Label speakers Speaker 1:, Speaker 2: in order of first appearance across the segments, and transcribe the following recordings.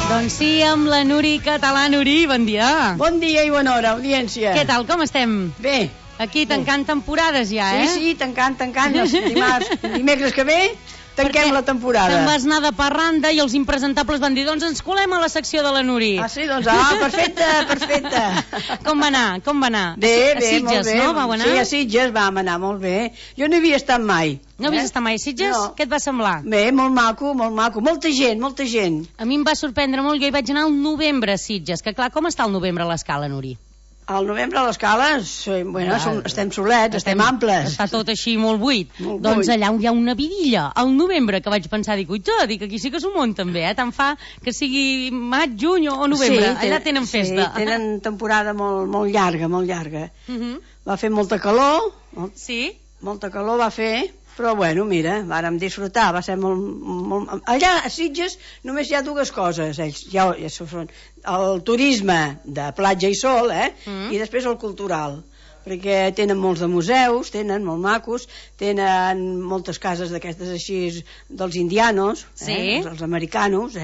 Speaker 1: Doncs sí, amb la Nuri Català. Nuri, bon dia.
Speaker 2: Bon dia i bona hora, audiència.
Speaker 1: Què tal, com estem?
Speaker 2: Bé.
Speaker 1: Aquí tancant temporades ja,
Speaker 2: Sí, tancant. Dimecres que ve tanquem la temporada.
Speaker 1: Te'n vas anar de parranda i els impresentables van dir, doncs ens colem a la secció de la Nuri.
Speaker 2: Ah, sí? Doncs, perfecte.
Speaker 1: Com va anar?
Speaker 2: Bé,
Speaker 1: a Sitges,
Speaker 2: molt bé.
Speaker 1: No? Vau anar?
Speaker 2: Sí, a Sitges vam anar molt bé. Jo no hi havia estat mai.
Speaker 1: No havies estat mai a Sitges?
Speaker 2: No.
Speaker 1: Què et va semblar?
Speaker 2: Bé, molt maco. Molta gent.
Speaker 1: A mi em va sorprendre molt, jo hi vaig anar al novembre a Sitges, que clar, com està el novembre a l'Escala, Nuri?
Speaker 2: Al novembre a l'escala, estem solets, estem amples.
Speaker 1: Està tot així molt buit. Doncs allà hi ha una vidilla, al novembre, que vaig pensar, dic aquí sí que s'ho munten bé, tant fa que sigui maig, juny o novembre. Allà tenen festa.
Speaker 2: Sí, tenen temporada molt llarga. Va fer molta calor.
Speaker 1: Sí?
Speaker 2: Molta calor va fer, però bueno, mira, vàrem disfrutar, va ser molt... Allà a Sitges només hi ha dues coses, ja són el turisme de platja i sol, i després el cultural, perquè tenen molts de museus, tenen molt macos, tenen moltes cases d'aquestes així dels indianos, els americanos,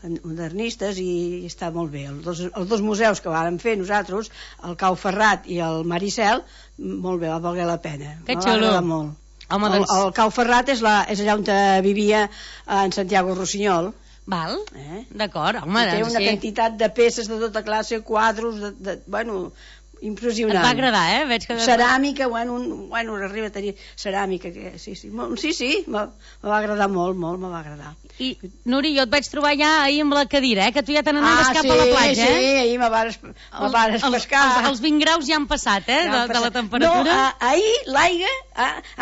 Speaker 2: modernistes, i està molt bé. Els dos museus que vàrem fer nosaltres, el Cau Ferrat i el Maricel, molt bé, va valer la pena.
Speaker 1: Que xulo.
Speaker 2: Molt. El Cau Ferrat és allà on vivia en Santiago Rossinyol.
Speaker 1: Val, d'acord, home.
Speaker 2: Té una quantitat de peces de tota classe, quadros, bueno, impressionant.
Speaker 1: Et va agradar, Veig que...
Speaker 2: Ceràmica, bueno, arriba a tenir ceràmica, sí, me va agradar molt, me va agradar.
Speaker 1: I, Nuri, jo et vaig trobar ja ahir amb la cadira, que tu ja te n'anaves cap a la platja,
Speaker 2: Sí, ahir me vares pescar.
Speaker 1: Els 20 graus ja han passat, de la temperatura.
Speaker 2: No, ahir l'aigua,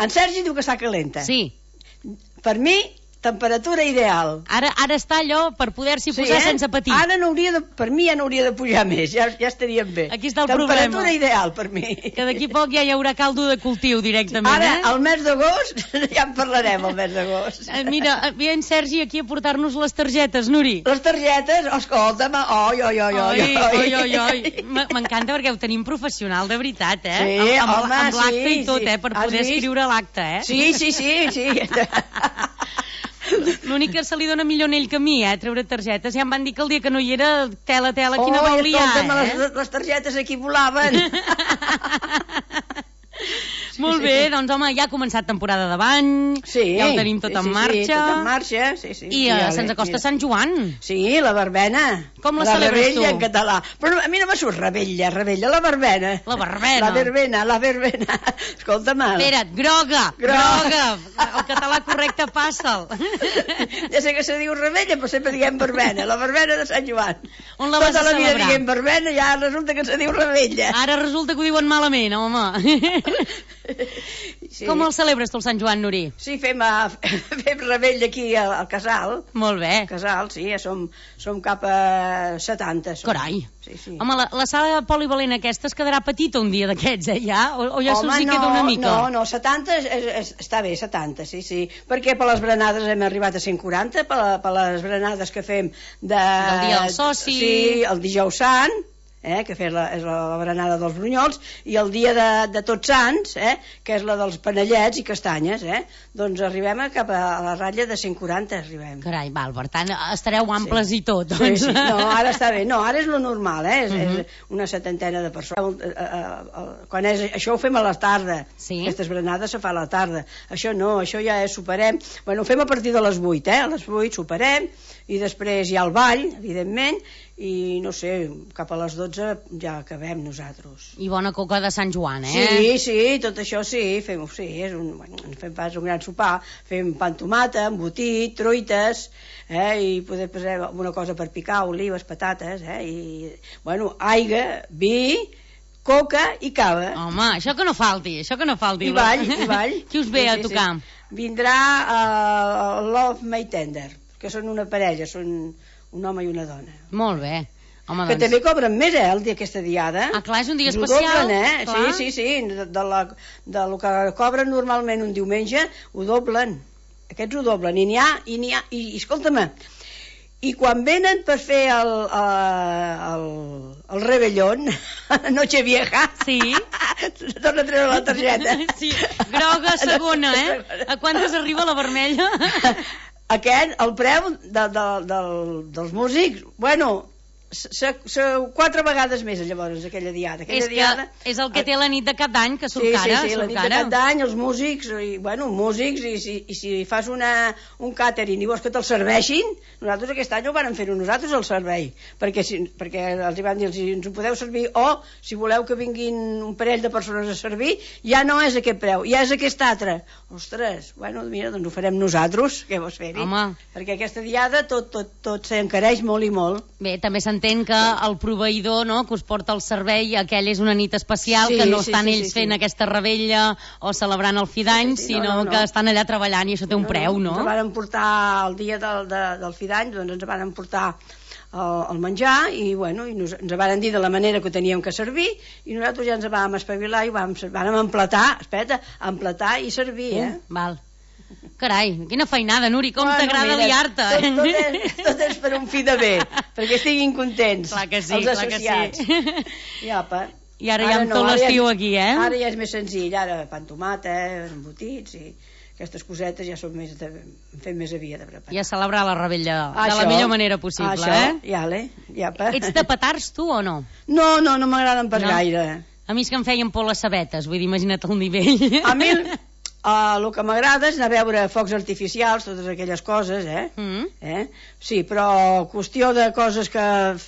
Speaker 2: en Sergi diu que està calenta.
Speaker 1: Sí.
Speaker 2: Per mi, temperatura ideal.
Speaker 1: Ara està allò per poder-s'hi posar sense patir.
Speaker 2: Per mi ja no hauria de pujar més, ja estaríem bé.
Speaker 1: Aquí està el problema.
Speaker 2: Temperatura ideal per mi.
Speaker 1: Que d'aquí poc ja hi haurà caldo de cultiu directament.
Speaker 2: Ara, al mes d'agost, ja en parlarem el mes d'agost.
Speaker 1: Mira, ve en Sergi aquí a portar-nos les targetes, Nuri.
Speaker 2: Les targetes, escolta'm, oi.
Speaker 1: M'encanta perquè ho tenim professional, de veritat,
Speaker 2: Sí, home,
Speaker 1: amb l'acte i tot, per poder escriure l'acte,
Speaker 2: Sí.
Speaker 1: L'únic que se li dona millor anell que a mi, treure targetes. Ja em van dir que el dia que no hi era, tela, quina vol liar,
Speaker 2: les targetes aquí volaven.
Speaker 1: Molt bé, doncs home, ja ha començat temporada de bany, ja ho tenim tot en marxa.
Speaker 2: Sí, tot en marxa, sí.
Speaker 1: I se'ns acosta Sant Joan.
Speaker 2: Sí, la verbena.
Speaker 1: Com la celebres tu?
Speaker 2: La rebella en català. Però a mi no me surt rebella, la verbena.
Speaker 1: La verbena.
Speaker 2: La verbena. Escolta'm.
Speaker 1: Espera't, groga. El català correcte passa'l.
Speaker 2: Ja sé que se diu rebella, però sempre diguem verbena. La verbena de Sant Joan.
Speaker 1: On la vas a celebrar?
Speaker 2: Tota la vida diguem verbena, ja resulta que se diu rebella.
Speaker 1: Ara resulta que ho diuen malament, home.
Speaker 2: Sí.
Speaker 1: Com el celebres tu el Sant Joan, Nuri?
Speaker 2: Sí, fem rebella aquí al Casal.
Speaker 1: Molt bé.
Speaker 2: Casal, sí, ja som cap a 70.
Speaker 1: Carai.
Speaker 2: Sí.
Speaker 1: Home, la sala polivalent aquesta es quedarà petita un dia d'aquests, ja? O ja se'ls hi queda una mica?
Speaker 2: No, 70 està bé, 70, sí. Perquè per les berenades hem arribat a 140, per les berenades que fem
Speaker 1: del dia del soci.
Speaker 2: Sí, el dijous sant, que és la berenada dels brunyols, i el dia de Tots Sants, que és la dels panellets i castanyes, doncs arribem cap a la ratlla de 140, arribem.
Speaker 1: Carai, val, per tant, estareu amples i tot, doncs.
Speaker 2: Sí. No, ara està bé. No, ara és lo normal, és una 70 de persones. Això ho fem a la tarda.
Speaker 1: Sí.
Speaker 2: Aquestes berenades se fa a la tarda. Això no, això ja soparem. Bueno, ho fem a partir de les 8, A les 8 soparem, i després hi ha el ball, evidentment, i no sé, cap a les 12 ja acabem nosaltres.
Speaker 1: I bona coca de Sant Joan, eh?
Speaker 2: Sí, tot això sí, fem pas un gran sopar, fem pa amb tomata, embotit, truites, i poder posar alguna cosa per picar, olives, patates, i, bueno, aigua, vi, coca i cava.
Speaker 1: Home, això que no falti.
Speaker 2: I ball.
Speaker 1: Qui us ve a tocar?
Speaker 2: Vindrà Love May Tender, que són una parella, són un home i una dona.
Speaker 1: Molt bé. Home,
Speaker 2: que també cobren més, el dia aquesta diada.
Speaker 1: Ah, clar, és un dia especial.
Speaker 2: Ho doblen, Sí. De lo que cobren normalment un diumenge, ho doblen. Aquests ho doblen. I escolta'm, i quan venen per fer el rebellón, Nochevieja,
Speaker 1: sí.
Speaker 2: Torna a treure la targeta.
Speaker 1: Sí, groga segona, A quantes arriba la vermella?
Speaker 2: el preu dels músics, bueno, 4 vegades més, llavors, aquella diada.
Speaker 1: És el que té la nit de cap d'any, que surt cara.
Speaker 2: Sí, la nit de cap d'any, els músics, i si fas un càtering i vols que te'l serveixin, nosaltres aquest any ho vàrem fer nosaltres, el servei, perquè els hi vam dir, ens ho podeu servir, o si voleu que vinguin un parell de persones a servir, ja no és aquest preu, ja és aquest altre. Ostres, bueno, mira, doncs ho farem nosaltres, què vols fer-hi? Perquè aquesta diada tot s'encareix molt i molt.
Speaker 1: Bé, també s'entén que el proveïdor, no?, que us porta el servei, aquell és una nit especial, que no estan ells fent aquesta revetlla o celebrant el fi d'any, sinó que estan allà treballant i això té un preu, no?
Speaker 2: Ens van portar el dia del fi d'any, doncs ens van portar el menjar i ens van dir de la manera que ho teníem que servir i nosaltres ja ens vam espavilar i vam emplatar i servir,
Speaker 1: Val. Carai, quina feinada, Nuri, com t'agrada liar-te.
Speaker 2: Tot és per un fi de bé, perquè estiguin contents els associats. I
Speaker 1: ara ja amb tot l'estiu aquí,
Speaker 2: Ara ja és més senzill, ara pa amb tomata, embotits i aquestes cosetes ja són fem més aviat de preparar.
Speaker 1: I a celebrar la revetlla de la millor manera possible, Ets de petards, tu, o no?
Speaker 2: No m'agraden pas gaire.
Speaker 1: A mi és que em feien por les sabetes, vull dir, imagina't el nivell.
Speaker 2: A mi el que m'agrada és anar a veure focs artificials, totes aquelles coses, Sí, però qüestió de coses que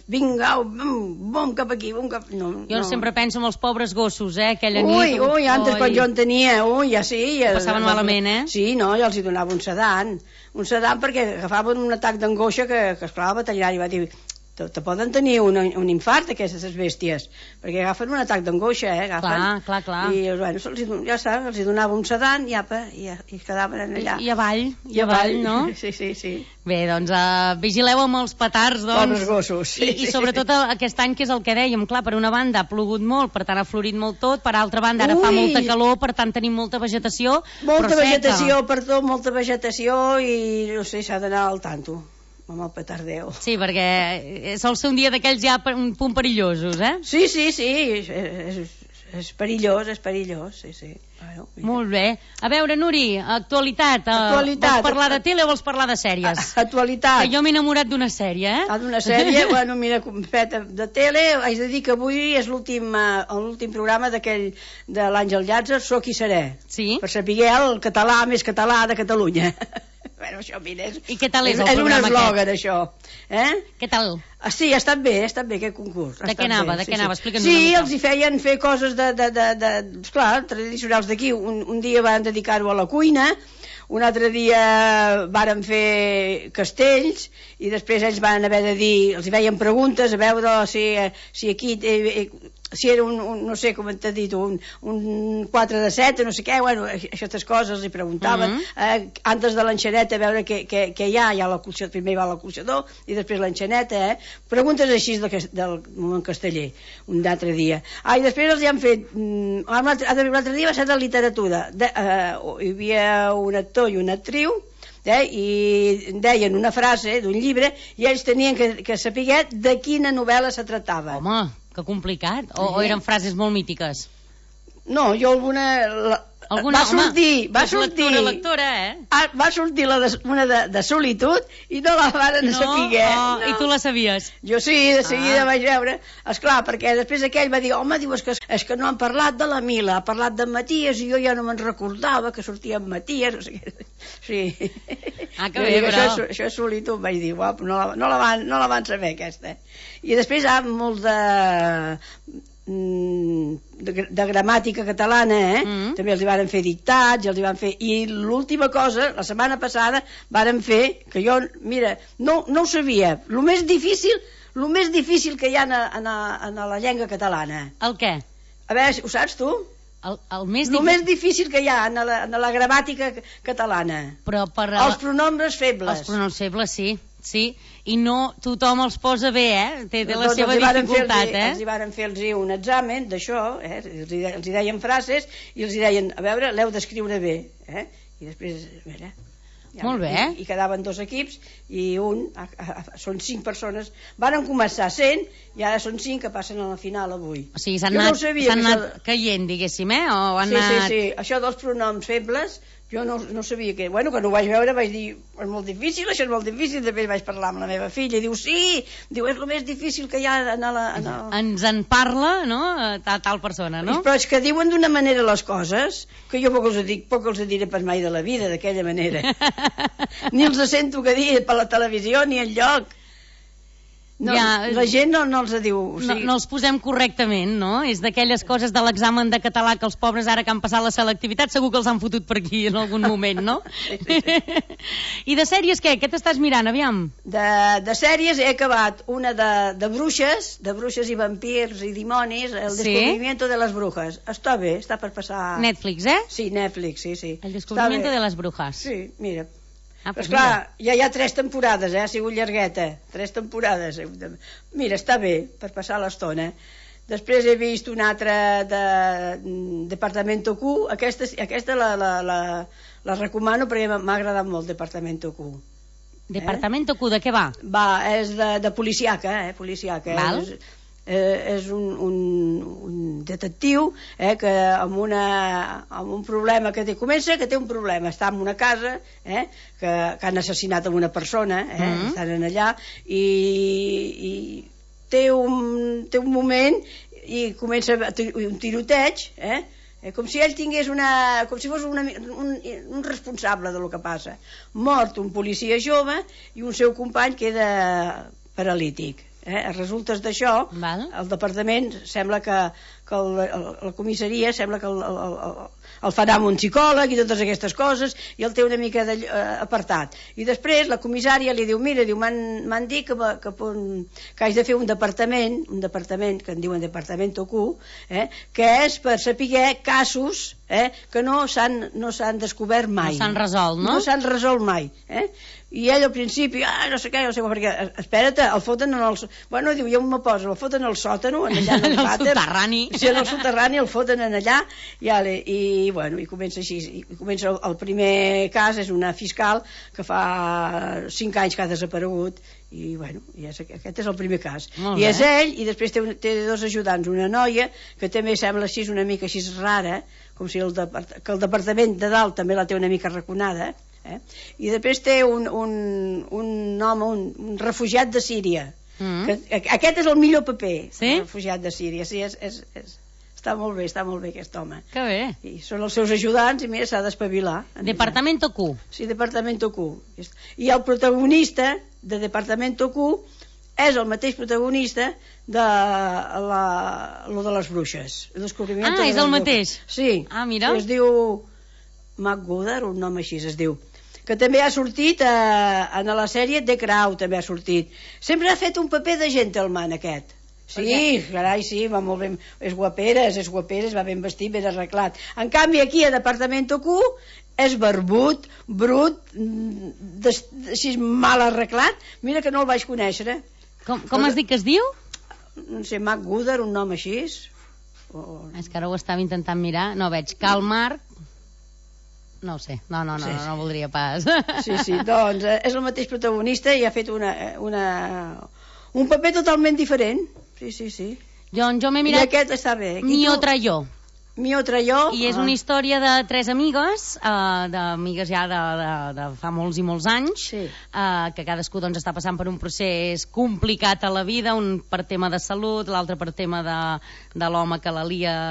Speaker 2: vinga, bom, cap aquí, bom, cap...
Speaker 1: Jo sempre penso en els pobres gossos, aquella nit...
Speaker 2: Ui, antes quan jo en tenia, ja sí...
Speaker 1: Passaven malament,
Speaker 2: Sí, no, ja els hi donava un sedant perquè agafaven un atac d'angoixa que esclar, el veterinari va dir... te poden tenir un infart aquestes bèsties, perquè agafen un atac d'angoixa,
Speaker 1: Clar.
Speaker 2: I ja està, els donava un sedant i quedaven allà.
Speaker 1: I avall, no?
Speaker 2: Sí.
Speaker 1: Bé, doncs vigileu amb els petards, doncs.
Speaker 2: Pobres gossos.
Speaker 1: I sobretot aquest any, que és el que dèiem, clar, per una banda ha plogut molt, per tant ha florit molt tot, per altra banda ara fa molta calor, per tant tenim molta vegetació,
Speaker 2: molta vegetació i no sé, s'ha d'anar al tanto amb el petardeu.
Speaker 1: Sí, perquè sol ser un dia d'aquells ja un punt perillosos,
Speaker 2: Sí, és perillós, sí.
Speaker 1: Molt bé. A veure, Nuri, actualitat. Vols parlar de tele o vols parlar de sèries?
Speaker 2: Actualitat.
Speaker 1: Que jo m'he enamorat d'una sèrie,
Speaker 2: D'una sèrie? Mira, de tele, haig de dir que avui és l'últim programa d'aquell de l'Àngel Llàtzer, Soc i seré.
Speaker 1: Sí.
Speaker 2: Per saber el català més català de Catalunya. Això, mira,
Speaker 1: I què tal és el programa aquest?
Speaker 2: És un eslògan, això.
Speaker 1: Què tal?
Speaker 2: Sí, ha estat bé aquest concurs.
Speaker 1: De què anava? Explica'ns una mica.
Speaker 2: Sí, els hi feien fer coses esclar, tradicionals d'aquí. Un dia van dedicar-ho a la cuina, un altre dia varen fer castells i després ells van haver de dir, els hi feien preguntes a veure si aquí si era no sé com t'ha dit, un 4 de 7, no sé què, aquestes coses els hi preguntaven, antes de l'enxaneta, a veure què hi ha primer va l'encolxador i després l'enxaneta, preguntes així del moment casteller, un altre dia. I després els hi han fet, l'altre dia va ser de literatura, hi havia un actor i una actriu, i deien una frase d'un llibre i ells tenien que saber de quina novel·la se tractava.
Speaker 1: Home, que complicat. O eren frases molt mítiques?
Speaker 2: No, jo alguna... Va sortir
Speaker 1: lectora,
Speaker 2: va sortir una de solitud i no la varen saber.
Speaker 1: I tu la sabies?
Speaker 2: Jo sí, de seguida vaig veure. Esclar, perquè després aquell va dir, home, és que no han parlat de la Mila, ha parlat de Maties i jo ja no me'n recordava que sortia en Maties, no sé què. Sí.
Speaker 1: Que bé, però...
Speaker 2: Això és solitud, vaig dir, no la van saber aquesta. I després hi ha molt de gramàtica catalana, també els hi varen fer dictats, i l'última cosa, la setmana passada varen fer, que jo, mira, no ho sabia, el més difícil que hi ha en la llengua catalana.
Speaker 1: El què?
Speaker 2: A veure, ho saps tu?
Speaker 1: El més
Speaker 2: difícil que hi ha en la gramàtica catalana.
Speaker 1: Però
Speaker 2: els pronombres febles.
Speaker 1: Els pronombres febles, sí, i no tothom els posa bé, té la seva dificultat,
Speaker 2: Els hi varen fer un examen d'això, els hi deien frases i els hi deien, a veure, l'heu d'escriure bé, i després, mira...
Speaker 1: Molt bé.
Speaker 2: I quedaven 2 equips i són 5 persones. Varen començar 100 i ara són 5 que passen a la final avui.
Speaker 1: O sigui, s'han anat caient, diguéssim, o han anat...
Speaker 2: Sí, això dels pronoms febles Jo no sabia que... Bueno, quan ho vaig veure vaig dir, és molt difícil, això és molt difícil. Després vaig parlar amb la meva filla i diu, sí, diu, és el més difícil que hi ha
Speaker 1: Ens en parla, no?, tal persona, no?
Speaker 2: Però és que diuen d'una manera les coses que jo poc els diré pas mai de la vida, d'aquella manera. Ni els sento que dir per la televisió ni enlloc. No, ja, la gent no els diu... O sigui...
Speaker 1: no els posem correctament, no? És d'aquelles coses de l'examen de català que els pobres ara que han passat la selectivitat segur que els han fotut per aquí en algun moment, no?
Speaker 2: Sí.
Speaker 1: I de sèries què? Què t'estàs mirant, aviam?
Speaker 2: De sèries he acabat una de bruixes i vampirs i dimonis, El descubrimiento de las brujas. Està bé, està per passar...
Speaker 1: Netflix, eh?
Speaker 2: Sí, Netflix, sí.
Speaker 1: El descubrimiento de las brujas.
Speaker 2: Sí, mira...
Speaker 1: Pues
Speaker 2: clar, ja hi ha 3 temporades, ha sigut llargueta, 3 temporades. Mira, està bé, per passar l'estona. Després he vist una altra de Departamento Q, aquesta la recomano perquè m'ha agradat molt, Departamento Q.
Speaker 1: Departamento Q, de què va?
Speaker 2: És de policiaca,
Speaker 1: Val.
Speaker 2: És un detectiu que amb un problema que comença, que té un problema, està en una casa que han assassinat una persona, estan allà i té un moment i comença un tiroteig, com si ell tingués com si fos un responsable del que passa. Mort un policia jove i un seu company queda paralític. Resultes d'això, el departament sembla que la comissaria sembla que el farà amb un psicòleg i totes aquestes coses, i el té una mica apartat. I després la comissària li diu, mira, m'han dit que haig de fer un departament que en diuen Departamento Q, que és per saber casos que no s'han descobert mai.
Speaker 1: No s'han resolt, no?
Speaker 2: No s'han resolt mai. I ell al principi, no sé què, perquè, espera't, el foten en els... Bueno, diu, jo me poso, el foten al sòtano, allà en els vàters.
Speaker 1: Soterrani.
Speaker 2: Sí, en el soterrani el foten en allà, i bueno, i comença així. I comença el primer cas, és una fiscal que fa 5 anys que ha desaparegut, i bueno, aquest és el primer cas. I és ell, i després té 2 ajudants, una noia, que també sembla així una mica així rara, com si que el departament de dalt també la té una mica raconada, i després té un home, un refugiat de Síria. Aquest és el millor paper, el refugiat de Síria. Sí, està molt bé aquest home.
Speaker 1: Que bé.
Speaker 2: I són els seus ajudants i mira, s'ha d'espavilar.
Speaker 1: Departamento Q.
Speaker 2: Sí, Departamento Q. I el protagonista de Departamento Q és el mateix protagonista de lo de les bruixes.
Speaker 1: És el mateix?
Speaker 2: Sí.
Speaker 1: Mira.
Speaker 2: Es diu McGooder, un nom així es diu, que també ha sortit en la sèrie The Crown, també ha sortit. Sempre ha fet un paper de gentleman aquest. Sí, carai, sí, va molt ben, és guaperes, va ben vestit, ben arreglat. En canvi aquí a Departamento Q és barbut, brut, així mal arreglat. Mira que no el vaig conèixer.
Speaker 1: Com has dit que es diu?
Speaker 2: No sé, McGooder, un nom així.
Speaker 1: És que ara ho estava intentant mirar, no veig. Karl Marx. No ho sé, no voldria pas.
Speaker 2: Sí, doncs és el mateix protagonista i ha fet un paper totalment diferent. Sí.
Speaker 1: Jo m'he mirat...
Speaker 2: I aquest està bé.
Speaker 1: Mi otra yo.
Speaker 2: I
Speaker 1: és una història de 3 amigues, d'amigues ja de fa molts i molts anys, que cadascú doncs està passant per un procés complicat a la vida, un per tema de salut, l'altre per tema de l'home que la lia a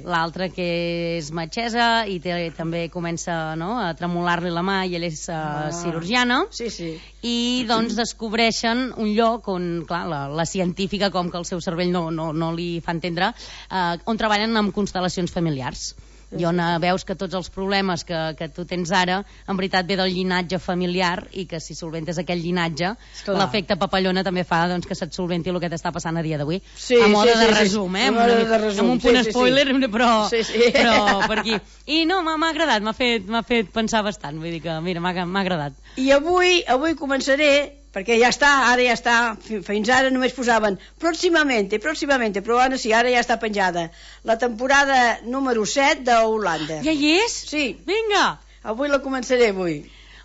Speaker 1: l'altre que és metgessa i també comença a tremolar-li la mà i ell és cirurgiana, i doncs descobreixen un lloc on, clar, la científica, com que el seu cervell no li fa entendre, on treballen amb constel·lacions familiars, i on veus que tots els problemes que tu tens ara en veritat ve del llinatge familiar, i que si solventes aquell llinatge, l'efecte papallona també fa que se't solventi el que t'està passant a dia d'avui, a mode de resum, amb un punt spoiler, però per aquí. I no, m'ha agradat, m'ha fet pensar bastant, vull dir que mira, m'ha agradat.
Speaker 2: I avui començaré, perquè ara ja està, fins ara només posaven próximamente, però ara sí, ara ja està penjada la temporada número 7 d'Holanda.
Speaker 1: Ja hi és?
Speaker 2: Sí.
Speaker 1: Vinga!
Speaker 2: Avui la començaré,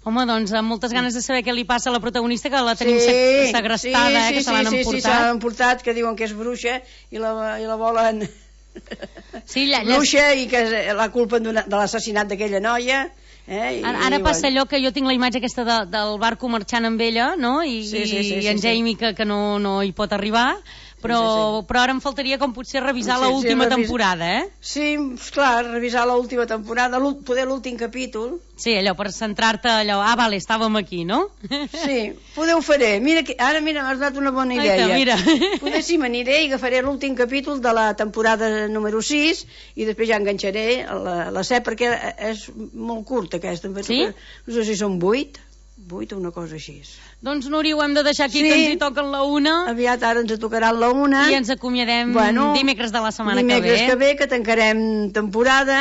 Speaker 1: Home, doncs amb moltes ganes de saber què li passa a la protagonista, que la tenim segrestada, que se l'han emportat.
Speaker 2: Sí, se l'han emportat, que diuen que és bruixa i la volen bruixa, i que la culpen de l'assassinat d'aquella noia,
Speaker 1: Ara passa allò que jo tinc la imatge aquesta del barco marxant amb ella, no? I en Jamie que no hi pot arribar, però ara em faltaria com potser revisar l'última temporada,
Speaker 2: Sí, esclar, revisar l'última temporada, poder l'últim capítol.
Speaker 1: Sí, allò, per centrar-te allò, vale, estàvem aquí, no?
Speaker 2: Sí, poder ho faré. Ara m'has donat una bona idea.
Speaker 1: Mira.
Speaker 2: Poder sí, m'aniré i agafaré l'últim capítol de la temporada número 6 i després ja enganxaré la 7 perquè és molt curta aquesta.
Speaker 1: Sí?
Speaker 2: No sé si són 8 o una cosa així.
Speaker 1: Doncs, Núria, ho hem de deixar aquí, que ens hi toquen la 1.
Speaker 2: Aviat ara ens tocaran la 1.
Speaker 1: I ens acomiadem dimecres de la setmana que ve.
Speaker 2: Dimecres que ve, que tancarem temporada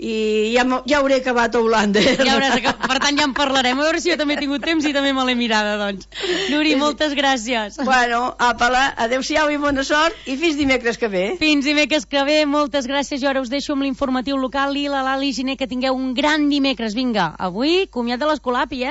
Speaker 2: i ja hauré acabat a Holanda.
Speaker 1: Per tant, ja en parlarem. A veure si jo també he tingut temps i també me l'he mirada, doncs. Núria, moltes gràcies.
Speaker 2: Bueno, àpala, adeu-siau i bona sort i fins dimecres que ve.
Speaker 1: Fins dimecres que ve, moltes gràcies. Jo ara us deixo amb l'informatiu local i la Lali Giner, que tingueu un gran dimecres. Vinga, avui, comiat de l'Escolapi,